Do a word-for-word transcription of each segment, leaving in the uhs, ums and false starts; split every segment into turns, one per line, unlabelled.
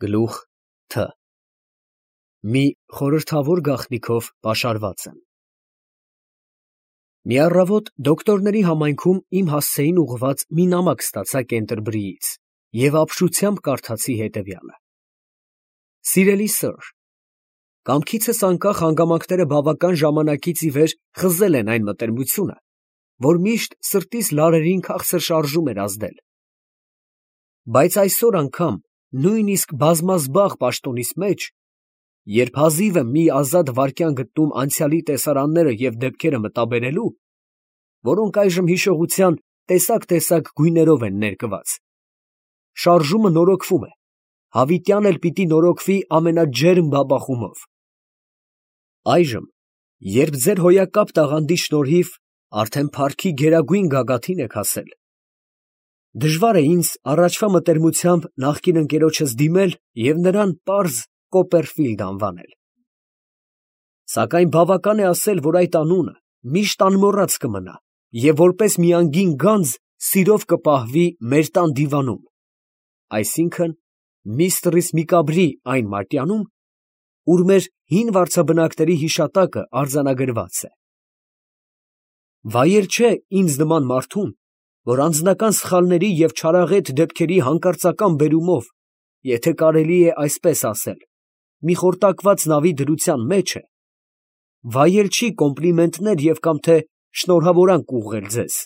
Գլուխ Թ. Մի խորհրդավոր գաղտնիքով պաշարված եմ։ Մի առավոտ դոկտորների համայնքում իմ հասցեին ուղղված մի նամակ ստացա Կենտերբրիից և ապշությամբ կարդացի հետևյալը. Սիրելի սըր, կամքիցս անկախ հանգամանքները բավական ժամանակից ի վեր խզել են այն մտերմությունը, որ միշտ սրտիս լարերին քաղցր շարժում էր ազդել, բայց այսօր անգամ նույնիսկ բազմազբաղ պաշտոնիս մեջ, երբ հազիվ եմ մի ազատ վայրկյան գտնում անցյալի տեսարանները և դեպքերը մտաբերելու, որոնք այժմ հիշողության տեսակ֊տեսակ գույներով են ներկված, շարժումը նորոգվում է, հավիտյան էլ պիտի նորոգվի ամենաջերմ բաբախումով։ Այժմ, երբ ձեր հոյակապ տաղանդի շնորհիվ արդեն փառքի գերագույն գագաթին եք հասել, դժվար է ինձ առաջվա մտերմությամբ նախկին ընկերոջս դիմել և նրան պարզ Կոպերֆիլդ անվանել։ Սակայն բավական է ասել, որ այդ անունը միշտ անմոռաց կմնա և որպես մի անգին գանձ սիրով կպահվի մեր տան դիվանում, այսինքն միստրիս Միկաբրի այն մատյանում, ուր մեր հին վարձաբնակների հիշատակը արձանագրված է։ Վայել չէ ինձ նման մարդուն, որ անձնական սխալների և չարաղետ դեպքերի հանկարծական բերումով, եթե կարելի է այսպես ասել, մի խորտակված նավի դրության մեջ է, վայել չի կոմպլիմենտներ և կամ թե շնորհավորանք ուղղել ձեզ։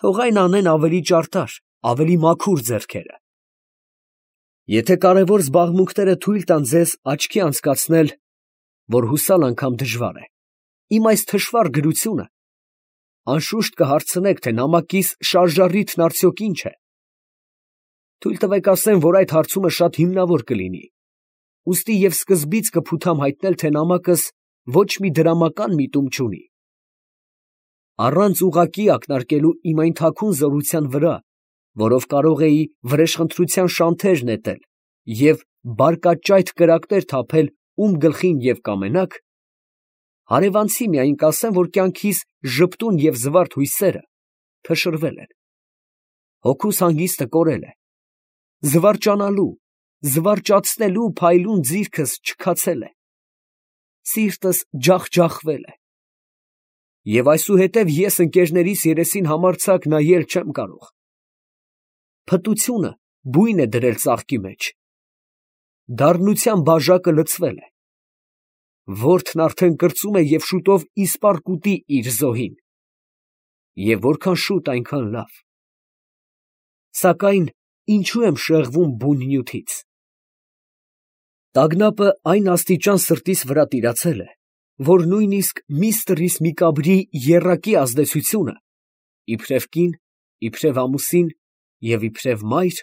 Թող այն անեն ավելի ճարտար, ավելի մաքուր ձեռքերը։ Եթե կարևոր զբաղմունքները թույլ տան ձեզ աչքի անցկացնել, որ հուսալ անգամ դժվար է, իմ այս թշվառ գրությունը, անշուշտ կհարցնեք, թե նամակիս շարժառիթն արդյոք ինչ է։ Թույլ տվեք ասեմ, որ այդ հարցումը շատ հիմնավոր կլինի, ուստի և սկզբից կփութամ հայտնել, թե նամակս ոչ մի դրամական միտում չունի։ Առանց ուղղակի ակնարկելու իմ այն թաքուն զորության վրա, որով կարող էի վրեժխնդրության շանթեր նետել և բարկաճայթ կրակներ թափել ում գլխին և կամենաք, հարևանցի միայն կասեմ, որ կյանքիս ժպտուն և զվարթ հույսերը փշրվել են, հոգուս հանգիստը կորել է, զվարճանալու, զվարճացնելու փայլուն ձիրքս չքացել է, սիրտս ջախջախվել է, և այսուհետև ես ընկերներիս երեսին համարձակ նայել չեմ կարող։ Փտությունը բույն է դրել ծաղկի մեջ, դառնության բաժակը լցվել է, որդն արդեն կրծում է և շուտով իսպառ կուտի իր զոհին, և որքան շուտ, այնքան լավ։ Սակայն ինչու եմ շեղվում բուն նյութից։ Տագնապը այն աստիճան սրտիս վրա տիրացել է, որ նույնիսկ միստրիս Միկաբրի եռակի ազդեցությունը, իբրև կին, իբրև ամուսին և իբրև մայր,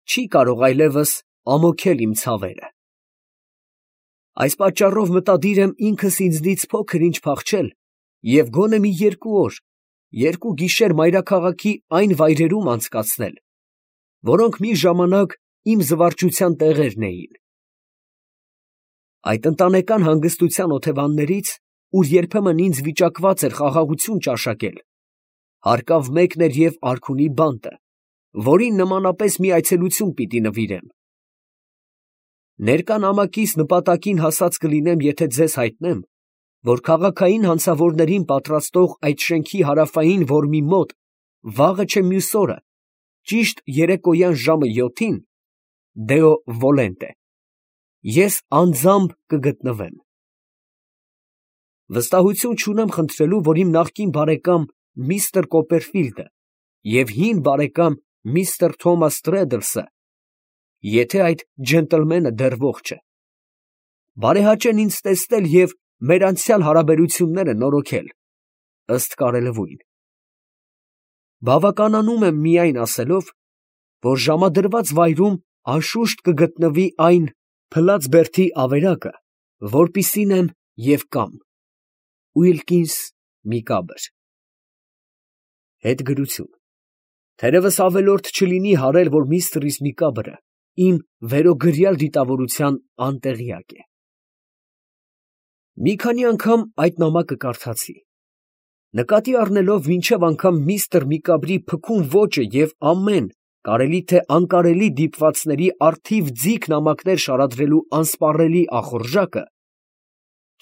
չի կարող այլևս ամոքել իմ ցավերը։ Այս պատճառով մտադիր եմ ինքս ինձնից փոքր ինչ փախչել և գոնե մի երկու օր, երկու գիշեր մայրաքաղաքի այն վայրերում անցկացնել, որոնք մի ժամանակ իմ զվարճության տեղերն էին։ Այդ ընտանեկան հանգստության օթևաններից, ուր երբեմն ինձ վիճակված էր խաղաղություն ճաշակել, հարկավ մեկն էր և արքունի բանտը, որին նմանապես մի այցելություն պիտի նվիրեմ։ Ներկա նամակիս նպատակին հասած կլինեմ, եթե ձեզ հայտնեմ, որ քաղաքային հանցավորներին պատրաստող այդ շենքի հարավային որմի մոտ վաղը չէ մյուս օրը, ճիշտ երեկոյան ժամը յոթին, Դեո Վոլենտե, ես անձամբ կգտնվեմ։ Վստահություն չունեմ խնդրելու, որ իմ նախկին բարեկամ միստր Կոպերֆիլդը և հին բարեկամ միստր Թոմաս Տրեդլսը, եթե այդ ջենտլմենը դեռ ողջ է, բարեհաճեն ինձ տեսնել և մեր անցյալ հարաբերությունները նորոգել, ըստ կարելևույն։ Բավականանում եմ միայն ասելով, որ ժամադրված վայրում անշուշտ կգտնվի այն փլած բերդի ավերակը, որպիսին եմ և կամ Ուիլկինս Միկաբր։ Հետգրություն. թերևս ավելորդ չլինի հարել, որ միստրիս Միկաբրը իմ վերոգրյալ դիտավորության անտեղյակ է։ Մի քանի անգամ այդ նամակը կարդացի, նկատի առնելով մինչև անգամ միստր Միկաբրի փքուն ոճը և ամեն կարելի թե անկարելի դիպվածների առթիվ ձիգ նամակներ շարադրելու անսպառելի ախորժակը,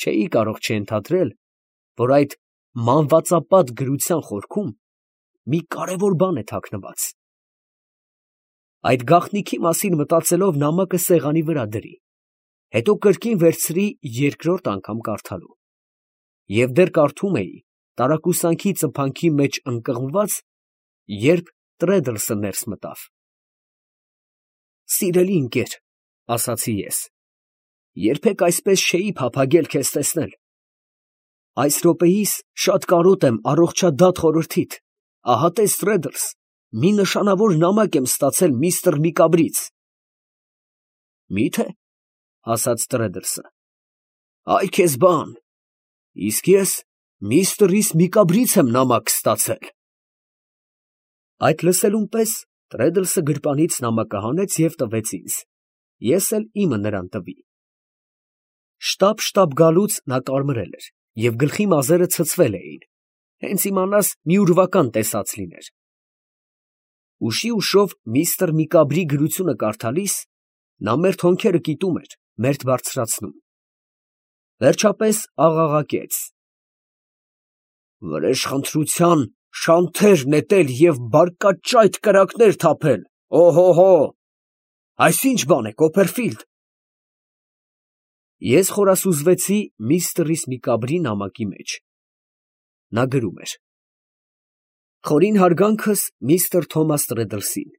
չէի կարող չընդհատել, որ այդ մանվածապատ գրության խորքում մի կարևոր բան է թաքնված։ Այդ գաղտնիքի մասին մտածելով նամակը սեղանի վրա դրի, հետո կրկին վերցրի երկրորդ անգամ կարդալու, և դեռ կարդում էի տարակուսանքի ծփանքի մեջ ընկղմված, երբ Տրեդլսը ներս մտավ։ «Սիրելի ընկեր, ֊ ասացի ես, ֊ երբեք այսպես չէի փափագել քեզ տեսնել։ Այս րոպեիս շատ կարոտ եմ առողջադատ խորհրդիդ, ահա տես Տրեդլս, մի նշանավոր նամակ եմ ստացել միստր Միկաբրից»։ «Մի՞թե, ֊ ասաց Տրեդլսը, ֊ այ քեզ բան, իսկ ես միստր Միկաբրից եմ նամակ ստացել»։ Այդ լսելուն պես Տրեդլսը գրպանից նամակը հանեց և տվեց ինձ, ես էլ իմը նրան տվի։ Շտապ֊շտապ գալուց նա կարմրել էր և գլխի մազերը ցցվել էին, հենց իմանաս մի ուրվական տեսած լիներ։ Ուշի ուշով միստր Միկաբրի գրությունը կարդալիս նա մերթ հոնքերը կիտում էր, մերթ բարձրացնում։ Վերջապես աղաղակեց. «Վրեժխնդրության շանթեր նետել և բարկաճայթ կրակներ թափել, օհո՜հո, այս ի՞նչ բան է, Կոպերֆիլդ»։ Ես խորասուզվեցի միստր Միկաբրի նամակի մեջ։ Նա գրում էր. «Խորին հարգանքս միստր Թոմաս Տրեդլսին։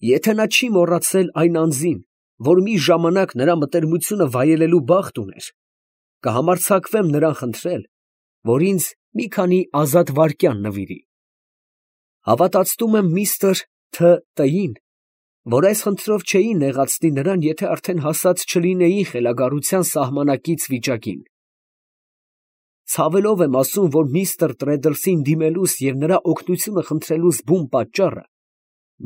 Եթե նա չի մոռացել այն անձին, որ մի ժամանակ նրա մտերմությունը վայելելու բախտ ուներ, կհամարձակվեմ նրան խնդրել, որ ինձ մի քանի ազատ վայրկյան նվիրի։ Հավատացնում եմ միստր Թ. Տ.-ին, որ այս խնդրով չէի նեղացնի նրան, եթե արդեն հասած չլինեի խելագարության սահմանակից վիճակին։ Ցավելով եմ ասում, որ միստր Տրեդլսին դիմելուս և նրա օգնությունը խնդրելուս բուն պատճառը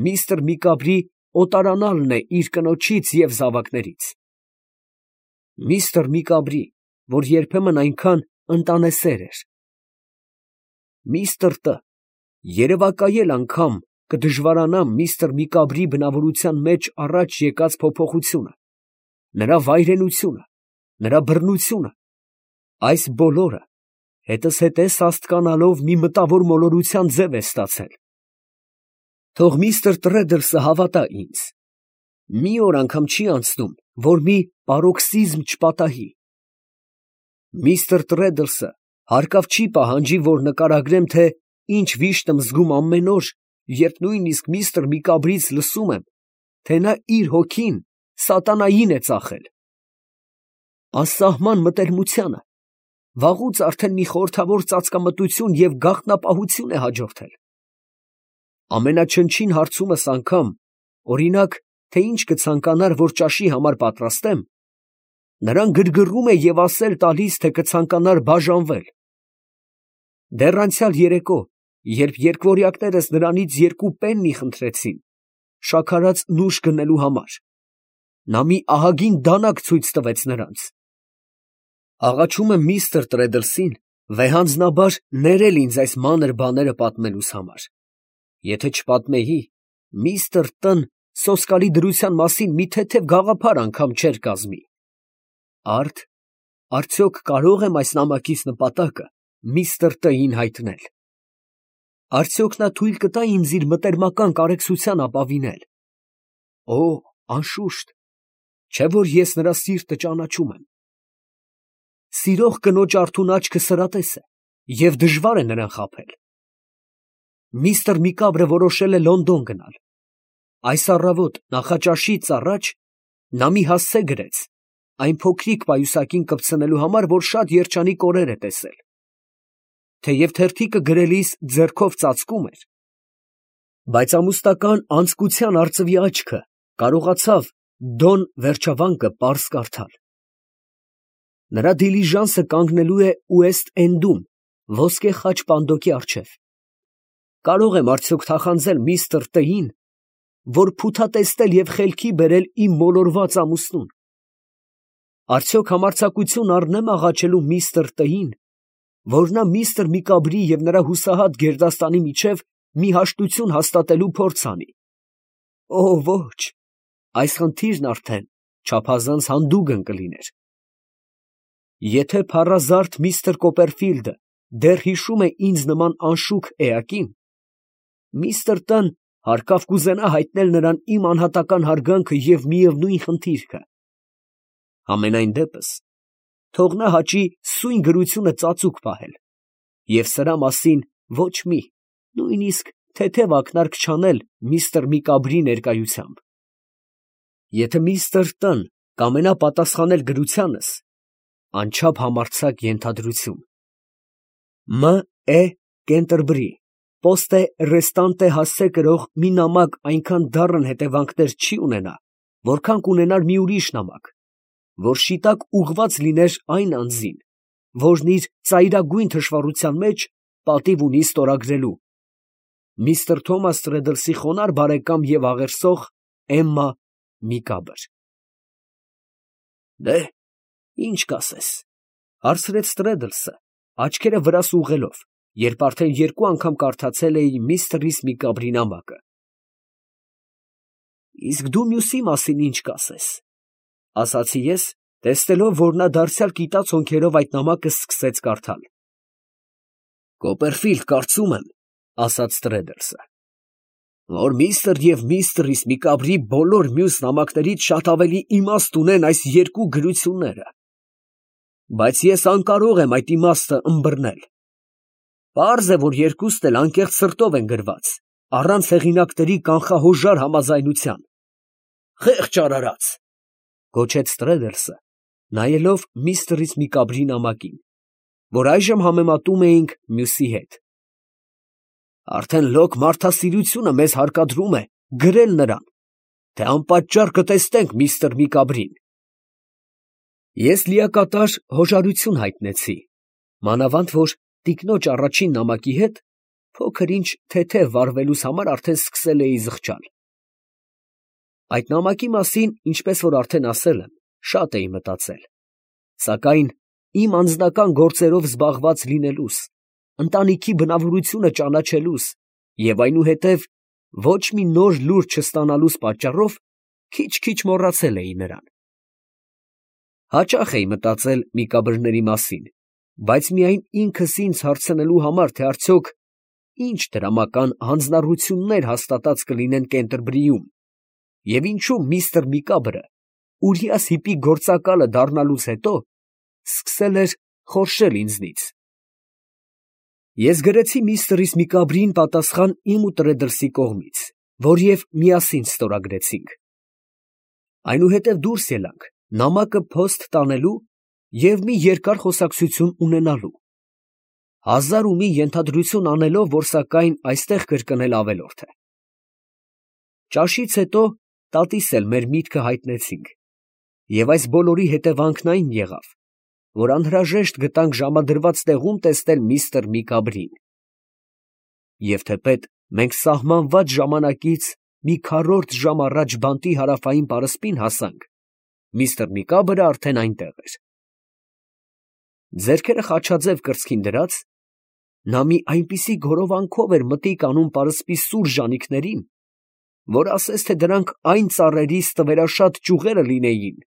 միստր Միկաբրի օտարանալն է իր կնոջից և զավակներից։ Միստր Միկաբրի, որ երբեմն այնքան ընտանեսեր էր։ Միստր Տ. երևակայել անգամ կդժվարանամ միստր Միկաբրի բնավորության մեջ առաջ եկած փոփոխությունը, նրա վայրենությունը, նրա բռնությունը, այս բոլորը հետզհետե սաստկանալով մի մտավոր մոլորության ձև է ստացել։ Թող միստր Տրեդլսը հավատա ինձ, մի օր անգամ չի անցնում, որ մի պարոքսիզմ չպատահի։ Միստր Տրեդլսը հարկավ չի պահանջի, որ նկարագրեմ, թե ինչ վիշտ եմ զգում ամեն օր, երբ նույնիսկ միստր Միկաբրից լսում եմ, թե նա իր հոգին սատանային է ծախել։ Անսահման մտերմությանը վաղուց արդեն մի խորհրդավոր ծածկամտություն և գաղտնապահություն է հաջորդել։ Ամենաչնչին հարցումս անգամ, օրինակ, թե ինչ կցանկանար, որ ճաշի համար պատրաստեմ, նրան գրգռում է և ասել տալիս, թե կցանկանար բաժանվել։ Դեռ անցյալ երեկո, երբ երկվորյակներս նրանից երկու պեննի խնդրեցին շաքարած նուշ գնելու համար, նա մի ահագին դանակ ցույց տվեց նրանց։ Աղաչում եմ միստր Տրեդլսին վեհանձնաբար ներել ինձ այս մանր բաները պատմելուս համար։ Եթե չպատմեի, միստր Տ.-ն սոսկալի դրության մասին մի թեթև գաղափար անգամ չէր կազմի։ Արդ, արդյոք կարո՞ղ եմ այս նամակիս նպատակը միստր Տ.-ին հայտնել։ Արդյոք նա թույլ կտա ինձ իր մտերմական կարեկցության ապավինել։ Օ, անշուշտ, չէ՞ որ ես նրա սիրտը ճանաչում եմ։ Սիրող կնոջ արթուն աչքը սրատես է, և դժվար է նրան խաբել։ Միստր Միկաբրը որոշել է Լոնդոն գնալ։ Այս առավոտ նախաճաշից առաջ նա մի հասցե գրեց, այն փոքրիկ պայուսակին կպցնելու համար, որ շատ երջանիկ օրեր է տեսել։ Թեև թերթիկը գրելիս ձեռքով ծածկում էր, բայց ամուսնական անձկության արծվի աչքը կարողացավ Դոն վերջավանկը պարզ կարդալ։ Նրա դիլիժանսը կանգնելու է Ուեստ Էնդում, ոսկե խաչ պանդոկի առջև։ Կարո՞ղ եմ արդյոք թախանձել միստր Տ.-ին, որ փութատեսնել և խելքի բերել իմ մոլորված ամուսնուն։ Արդյոք համարձակություն առնե՞մ աղաչելու միստր Տ.-ին, որ նա միստր Միկաբրի և նրա հուսահատ գերդաստանի միջև մի հաշտություն հաստատելու փորձ անի։ Օ, ոչ, այս խնդիրն արդեն չափազանց հանդուգն կլիներ։ Եթե փառազարդ միստր Կոպերֆիլդը դեռ հիշում է ինձ նման անշուք էակին, միստր Տ֊ն հարկավ կուզենա հայտնել նրան իմ անհատական հարգանքը և միևնույն խնդիրքը։ Համենայն դեպս, թող նա հաճի սույն գրությունը ծածուկ պահել և սրա մասին ոչ մի, նույնիսկ թեթև ակնարկ չանել միստր Միկաբրի ներկայությամբ։ Եթե միստր Տ֊ն կամենա պատասխանել գրությանս, անչափ համարձակ ենթադրություն։ Մ. Է. Կենտերբրի, պոստե ռեստանտե հասցե կրող մի նամակ այնքան դառն հետևանքներ չի ունենա, որքան կունենար մի ուրիշ նամակ, որ շիտակ ուղղված լիներ այն անձին, որն իր ծայրագույն թշվառության մեջ պատիվ ունի ստորագրելու. միստր Թոմաս Տրեդլսի խոնարհ բարեկամ և աղերսող Էմմա Միկաբր։ Դե, ի՞նչ կասես, ֊ հարցրեց Տրեդլսը, աչքերը վրաս ուղղելով, երբ արդեն երկու անգամ կարդացել էի միստր Միկաբրի նամակը։ Իսկ դու մյուսի մասին ի՞նչ կասես, ֊ ասացի ես, տեսնելով, որ նա դարձյալ կիտած հոնքերով այդ նամակը սկսեց կարդալ։ Կոպերֆիլդ, կարծում եմ, ֊ ասաց Տրեդլսը, որ միստր և միստր Միկաբրի բոլոր մյուս նամակներից շատ ավելի իմաստ ունեն այս երկու գրությունները, բայց ես անկարող եմ այդ իմաստը ըմբռնել։ Պարզ է, որ երկուսն էլ անկեղծ սրտով են գրված, առանց հեղինակների կանխահոժար համաձայնության։ Խեղճ արարած, ֊ գոչեց Տրեդլսը, նայելով միստր Միկաբրի նամակին, որ այժմ համեմատում էինք մյուսի հետ։ Արդեն լոկ մարդասիրությունը մեզ հարկադրում է գրել նրան, թե անպատճառ կտեսնենք միստր Միկաբրին։ Ես լիակատար հոժարություն հայտնեցի, մանավանդ որ տիկնոջ առաջին նամակի հետ փոքր ինչ թեթև վարվելուս համար արդեն սկսել էի զղջալ։ Այդ նամակի մասին, ինչպես որ արդեն ասել եմ, շատ էի մտածել, սակայն իմ անձնական գործերով զբաղված լինելուս, ընտանիքի բնավորությունը ճանաչելուս և այնուհետև ոչ մի նոր լուր չստանալուս պատճառով քիչ֊քիչ մոռացել էի նրան։ Հաճախ էի մտածել Միկաբրների մասին, բայց միայն ինքս ինձ հարցնելու համար, թե արդյոք ինչ դրամական հանձնառություններ հաստատած կլինեն Կենտերբրիում, և ինչու միստր Միկաբրը Ուրիաս Հիպի գործակալը դառնալուց հետո սկսել էր խորշել ինձնից։ Ես գրեցի միստր Միկաբրին պատասխան իմ ու Տրեդլսի կողմից, որ և միասին ստորագրեցինք։ Այնուհետև դուրս ելանք նամակը փոստ տանելու և մի երկար խոսակցություն ունենալու, հազար ու մի ենթադրություն անելով, որ սակայն այստեղ կրկնել ավելորդ է։ Ճաշից հետո տատիս էլ մեր միտքը հայտնեցինք, և այս բոլորի հետևանքն այն եղավ, որ անհրաժեշտ գտանք ժամադրված տեղում տեսնել միստր Միկաբրին։ Եվ թեպետ մենք սահմանված ժամանակից մի քառորդ ժամ առաջ բանտի հարավային պարսպին հասանք, միստր Միկաբրը արդեն այնտեղ էր։ Ձեռքերը խաչաձև կրծքին դրած, նա մի այնպիսի գորովանքով էր մտիկ անում պարսպի սուր ժանիքներին, որ ասես թե դրանք այն ծառերի ստվերաշատ ճյուղերը լինեին,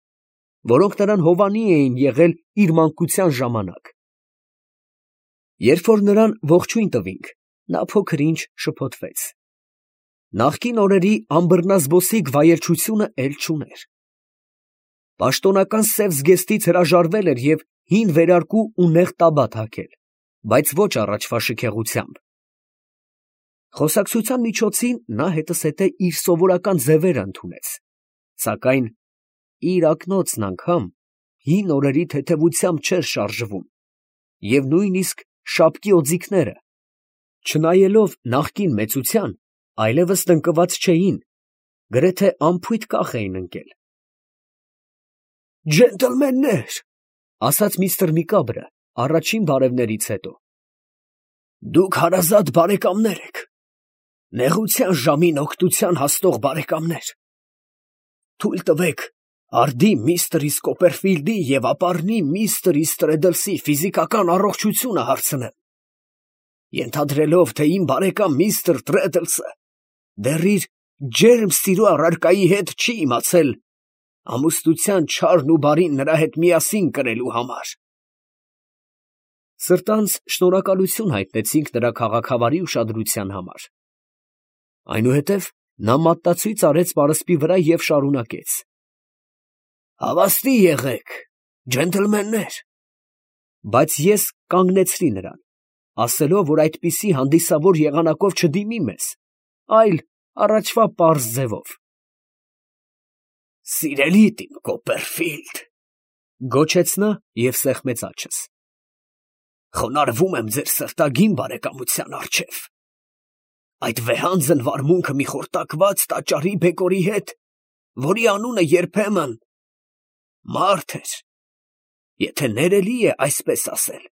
որոնք նրան հովանի էին եղել իր մանկության ժամանակ։ Երբ որ նրան ողջույն տվինք, նա փոքր ինչ շփոթվեց։ Նախկին օրերի անբռնազբոսիկ վայելչությունը էլ չուներ։ Պաշտոնական սև զգեստից հրաժարվել էր և հին վերարկու ու նեղ տաբատ հագել, բայց ոչ առաջվա շքեղությամբ։ Խոսակցության միջոցին նա հետզհետե իր սովորական ձևերը ընդունեց, սակայն իր ակնոցն անգամ հին օրերի թեթևությամբ չէր շարժվում, և նույնիսկ շապկի օձիքները, չնայելով նախկին մեծության, այլևս տնկված չէին, գրեթե անփույթ կախ էին ընկել։ «Ջենտլմեններ, ֊ ասաց միստր Միկաբրը առաջին բարևներից հետո, ֊ դուք հարազատ բարեկամներ եք, նեղության ժամին օգնության հասնող բարեկամներ. թույլ տվեք արդի միստր Կոպերֆիլդի և ապառնի միստր Տրեդլսի ֆիզիկական առողջությունը հարցնեմ, ենթադրելով, թե իմ բարեկամ միստր Տրեդլսը դեռ իր ջերմ սիրո առարկայի հետ չի իմացել ամուսնության չարն ու բարին նրա հետ միասին կրելու համար։ Սրտանց շնորհակալություն հայտնեցինք նրա քաղաքավարի ուշադրության համար։ Այնուհետև նա մատտացույց արեց պարսպի վրա և շարունակեց. «Հավաստի եղեք, ջենտլմեններ»։ Բայց ես կանգնեցրի նրան, ասելով, որ այդպիսի հանդիսավոր եղանակով չդիմի մեզ, այլ առաջվա պարզ ձևով։ «Սիրելիդ իմ Կոպերֆիլդ», գոչեց նա և սեղմեց աջս, «խոնարհվում եմ ձեր սրտագին բարեկամության առջև։ Այդ վեհանձն վարմունքը մի խորտակված տաճարի բեկորի հետ, որի անունը երբեմն մարդ էր, եթե ներելի է այսպես ասել,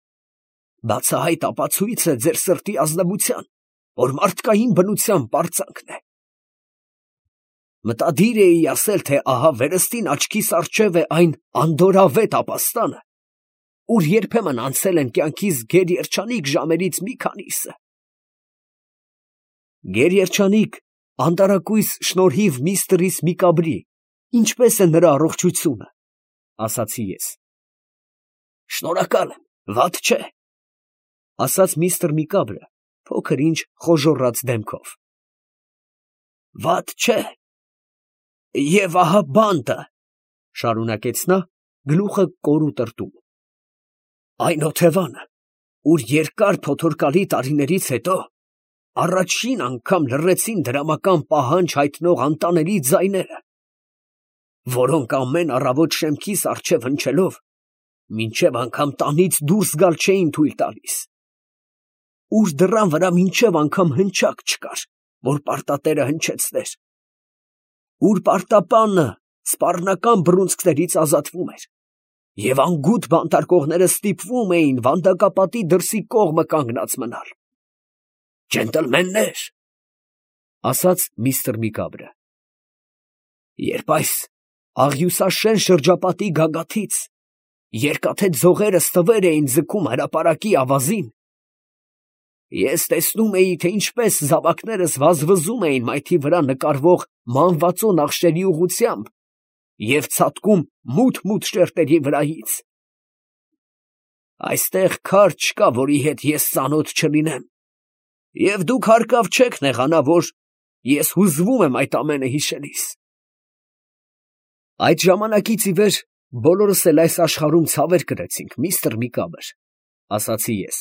բացահայտ ապացույց է ձեր սրտի ազնվության, որ մարդկային բնության պարծանքն է։ Մտադիր էի ասել, թե ահա վերստին աչքիս առջև է այն անդորրավետ ապաստանը, ուր երբեմն անցել են կյանքիս գերերջանիկ ժամերից մի քանիսը։ Գերերջանիկ, անտարակույս շնորհիվ միստր Միկաբրի, ինչպես է նրա առողջությունը, ասացի ես։ Շնորհակալ եմ, վատ չէ, ասաց միստր Միկաբրը, փոքր ինչ խոժոռաց դեմքով։ Վատ չէ, և ահա բանտը, շարունակեց նա, գլուխը կոր ու տրտում։ Այն օթևանը, ուր երկար փոթորկալի տարիներից հետո առաջին անգամ լռեցին դրամական պահանջ հայտնող անտանելի ձայները, որոնք ամեն առավոտ շեմքիս առջև հնչելով, մինչև անգամ տանից դուրս գալ չէին թույլ տալիս, ուր դռան վրա մինչև անգամ հնչակ չկար, որ պարտատերը հնչեցներ, ուր պարտապանը սպառնական բռունցքներից ազատվում էր, և անգութ բանտարկողները ստիպվում էին վանդակապատի դրսի կողմը կանգնած մնալ։ Ջենտլմեններ, ասաց միստր Միկաբրը, երբ այս աղյուսաշեն շրջապատի գագաթից երկաթե ձողերը ստվեր էին ձգում հրապարակի ավազին, ես տեսնում էի, թե ինչպես զավակներս վազվզում էին մայթի վրա նկարվող մանվածո նախշերի ուղղությամբ և ցատկում մութ֊մութ շերտերի վրայից։ Այստեղ քար չկա, որի հետ ես ծանոթ չլինեմ, և դուք հարկավ չեք նեղանա, որ ես հուզվում եմ այդ ամենը հիշելիս։ Այդ ժամանակից ի վեր բոլորս էլ այս աշխարհում ցավեր կրեցինք, միստր Միկաբր, ասացի ես։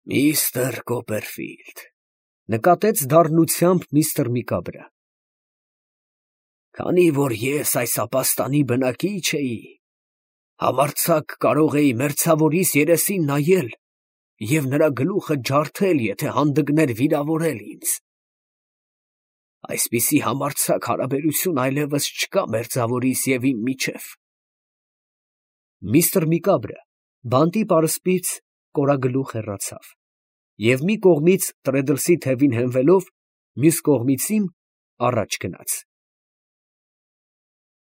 Միստր Կոպերֆիլդ, նկատեց դառնությամբ միստր Միկաբրը, քանի որ ես այս ապաստանի բնակիչ էի, համարձակ կարող էի մերձավորիս երեսին նայել և նրա գլուխը ջարդել, եթե հանդգներ վիրավորել ինձ։ Այսպիսի համարձակ հարաբերություն այլևս չկա մերձավորիս և իմ միջև։ Միստր Միկաբրը բանտի պարսպից կորագլուխ հեռացավ և մի կողմից տրեդլսի թևին հենվելով, մյուս կողմից իմ առաջ գնաց։